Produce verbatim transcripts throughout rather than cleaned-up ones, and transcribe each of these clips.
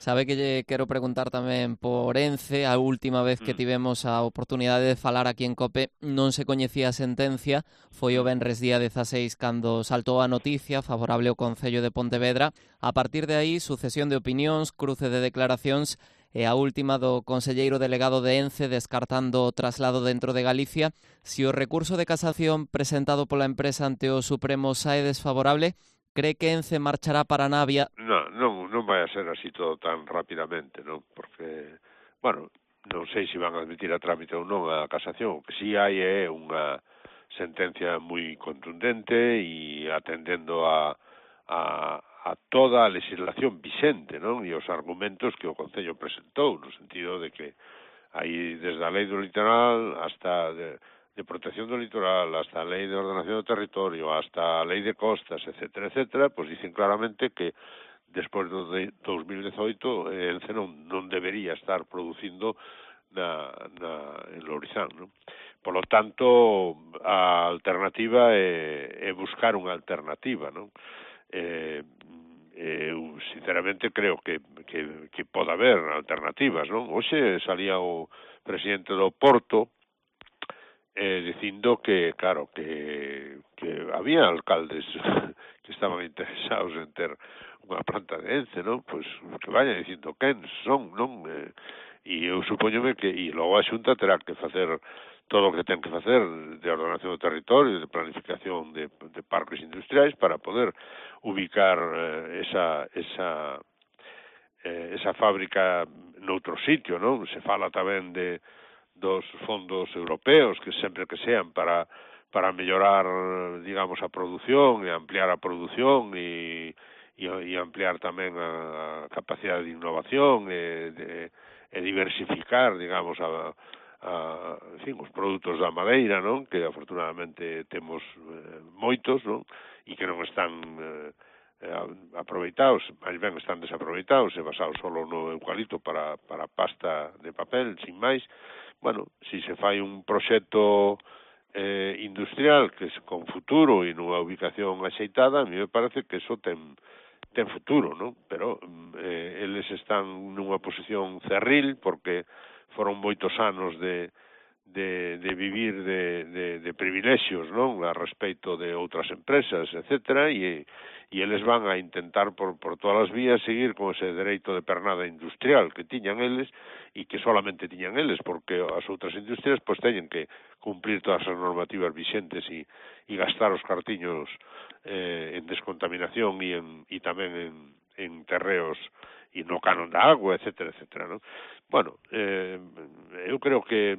Sabe que lle quero preguntar tamén por Ence. A última vez que Mm, tivemos a oportunidade de falar aquí en COPE non se coñecía a sentencia, foi o mm. venres día dezaseis cando saltou a noticia favorable ao Concello de Pontevedra. A partir de aí, sucesión de opinións, cruce de declaracións e a última do conselleiro delegado de Ence descartando o traslado dentro de Galicia. Si o recurso de casación presentado pola empresa ante o Supremo sae desfavorable, cree que Ence marchará para Navia? Non, non, non vai a ser así todo tan rapidamente, non? Porque, bueno, non sei se van a admitir a trámite ou non a casación. O que sí hai é unha sentencia moi contundente e atendendo a, a, a toda a legislación vixente, non? E os argumentos que o Concello presentou, no sentido de que aí desde a lei do litoral hasta de, de protección do litoral, hasta a lei de ordenación do territorio, hasta a lei de costas, etcétera, etcétera, pois dicen claramente que despois do de dos mil dezoito Ence non, non debería estar producindo na, na, en Lourizán, non? Por lo tanto, a alternativa é, é buscar unha alternativa, non? Eh, eu sinceramente creo que, que, que pode haber alternativas, non? Hoxe salía o presidente do Porto eh, dicindo que, claro, que, que había alcaldes que estaban interesados en ter unha planta de Ence, non? Pois que vaya dicindo quen son, non? Eh, e eu supoñome que, e logo a Xunta terá que facer todo o que ten que facer de ordenación do territorio, de planificación de, de parques industriais para poder ubicar eh, esa, esa, eh, esa fábrica noutro sitio, non? Se fala tamén de dos fondos europeos que sempre que sean para para mellorar, digamos, a produción e ampliar a produción e, e, e ampliar tamén a capacidade de innovación e, de, e diversificar, digamos, a, a, en fin, os produtos da madeira, non? Que afortunadamente temos eh, moitos, non? E que non están eh, aproveitados, máis ben están desaproveitados e basados solo no eucalipto para, para pasta de papel, sin máis. Bueno, si se fai un proxecto eh, industrial que es con futuro e nunha ubicación axeitada, a mí me parece que eso ten ten futuro, non? Pero eh, eles están nunha posición cerril porque foron moitos anos de de, de vivir de, de, de privilexios, non? A respecto de outras empresas, etcétera, e, e eles van a intentar por, por todas as vías seguir con ese dereito de pernada industrial que tiñan eles e que solamente tiñan eles, porque as outras industrias pois teñen que cumplir todas as normativas vixentes e, e gastar os cartiños eh, en descontaminación e, en, e tamén en, en terreos e no canon da agua, etcétera, etcétera, non? Bueno, eh, eu creo que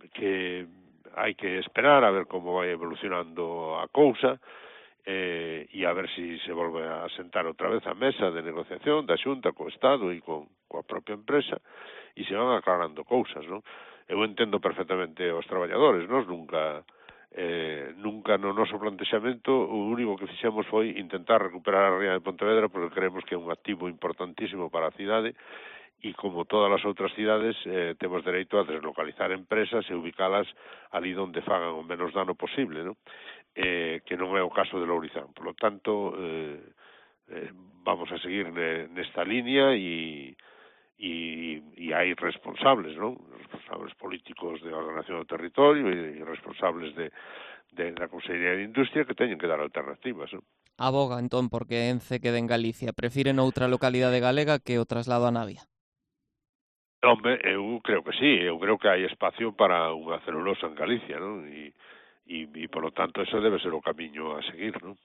que hai que esperar a ver como vai evolucionando a cousa eh, e a ver se si se volve a sentar outra vez a mesa de negociación da Xunta co Estado e con coa propia empresa e se van aclarando cousas, non? Eu entendo perfectamente os traballadores, nós nunca eh, nunca no noso plantexamento o único que fixemos foi intentar recuperar a ría de Pontevedra porque creemos que é un activo importantísimo para a cidade e como todas as outras cidades eh, temos dereito a deslocalizar empresas e ubicalas ali onde fagan o menos dano posible, non? Eh, que non é o caso de Lourizán. Por lo tanto, eh, eh, vamos a seguir ne, nesta línea e, e, e hai responsables, non? Responsables políticos de ordenación do territorio e, e responsables de, de, da Consellería de Industria que teñen que dar alternativas, non? Aboga, entón, porque Ence quede en Galicia. Prefire noutra localidade galega que o traslado a Navia? Home, eu creo que sí, eu creo que hai espacio para unha celulosa en Galicia, non? E, e, e, polo tanto, ese debe ser o camiño a seguir, non?